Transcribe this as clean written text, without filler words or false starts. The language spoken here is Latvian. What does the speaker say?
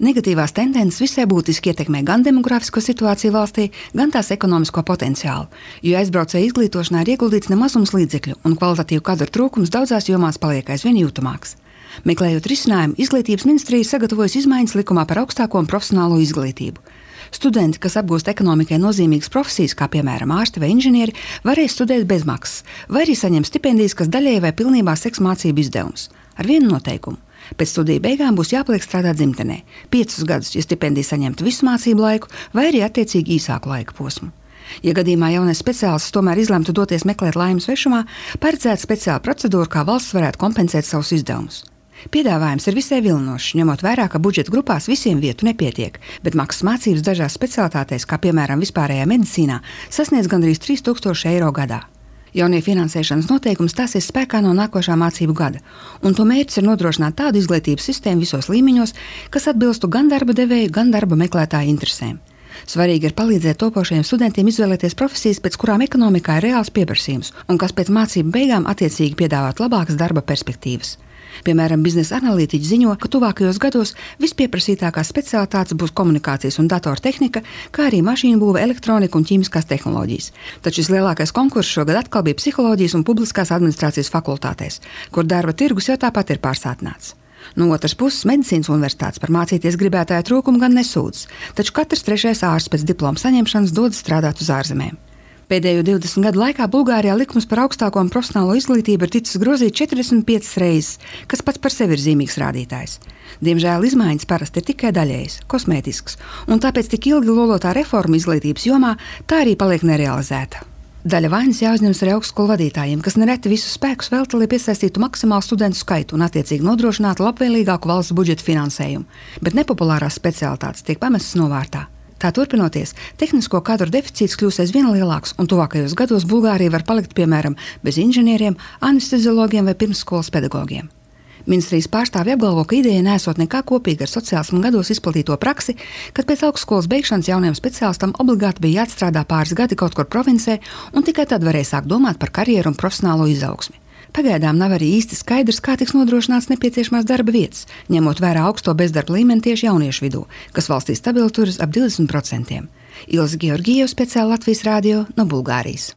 Negatīvās tendences visai būtiski ietekmē gan demografisko situāciju valstī, gan tās ekonomisko potenciālu, jo aizbraucēju izglītošanā ir ieguldīts nemazums līdzekļu, un kvalitatīvu kadru trūkums daudzās jomās paliek aizvien jūtamāks. Meklējot risinājumu, Izglītības ministrija sagatavojas izmaiņas likumā par augstāko un profesionālo izglītību. Studenti, kas apgūst ekonomikai nozīmīgas profesijas, kā piemēram ārsti vai inženieri, varēs studēt bezmaksas, vai arī saņemt stipendijas, kas daļēji vai pilnībā seks mācību izdevumus. Ar vienu noteikumu. Pēc studiju beigām būs jāpaliek strādāt dzimtenē 5 gadus, ja stipendija saņemtu visu mācību laiku, vai arī attiecīgi īsāku laika posmu. Ja gadījumā jaunais speciālists tomēr izlemtu doties meklēt laimi svešumā, paredzēta speciāla procedūra, kā valsts varētu kompensēt savus izdevumus. Piedāvājums ir visai vilinošs, ņemot vērā, ka budžeta grupās visiem vietu nepietiek, bet maksas mācības dažās specialitātēs, kā piemēram vispārējā medicīnā, sasniedz gandrīz 3000 eiro gadā. Jaunie finansēšanas noteikumi stāsies spēkā no nākošā mācību gada, un to mērķis ir nodrošināt tādu izglītības sistēmu visos līmeņos, kas atbilstu gan darba devēju, gan darba meklētāju interesēm. Svarīgi ir palīdzēt topošajiem studentiem izvēlēties profesijas, pēc kurām ekonomikā ir reāls pieprasījums, un kas pēc mācību beigām attiecīgi piedāvāt labākas darba perspektīvas. Piemēram, biznesa analītiķi ziņo, ka tuvākajos gados vispieprasītākās specialitātes būs komunikācijas un datortehnika, kā arī mašīnu būve, elektronika un ķīmiskās tehnoloģijas. Taču vislielākais konkurss šogad atkal bija psiholoģijas un publiskās administrācijas fakultātēs, kur darba tirgus jau tāpat ir pārsātināts. No otras puses, medicīnas universitātes par mācīties gribētāju trūkumu gan nesūdzas, taču katrs 3. ārsts pēc diploma saņemšanas dodas strādāt uz ārzemēm. Pēdējo 20 gadu laikā Bulgārijā likums par augstāko un profesionālo izglītību ir ticis grozīts 45 reizes, kas pats par sevi ir zīmīgs rādītājs. Diemžēl izmaiņas parasti ir tikai daļējas, kosmētisks, un tāpēc tik ilgi lolotā reforma izglītības jomā tā arī paliek nerealizēta. Daļa vainas jāuzņemas arī augstskolu vadītājiem, kas nereti visus spēkus velta, lai piesaistītu maksimālu studentu skaitu un attiecīgi nodrošinātu labvēlīgāku valsts budžeta finansējumu, bet nepopulārās specialitātes tiek pamestas novārtā. Tā turpinoties, tehnisko kadru deficīts kļūs aizvien lielāks, un tuvākajos gados Bulgārija var palikt, piemēram, bez inženieriem, anesteziologiem vai pirmsskolas pedagogiem. Ministrijas pārstāvji apgalvo, ka ideja nesot nekā kopīga ar sociālisma gados izplatīto praksi, kad pēc augstskolas beigšanas jaunajam speciālistam obligāti bija jāatstrādā pāris gadi kaut kur provincē, un tikai tad varēja sākt domāt par karjeru un profesionālo izaugsmi. Pagaidām nav arī īsti skaidrs, kā tiks nodrošināts nepieciešamās darba vietas, ņemot vērā augsto bezdarba līmeni tieši jauniešu vidū, kas valstī stabili turas ap 20%. Ilze Georgijeva, speciāli Latvijas Rādio no Bulgārijas.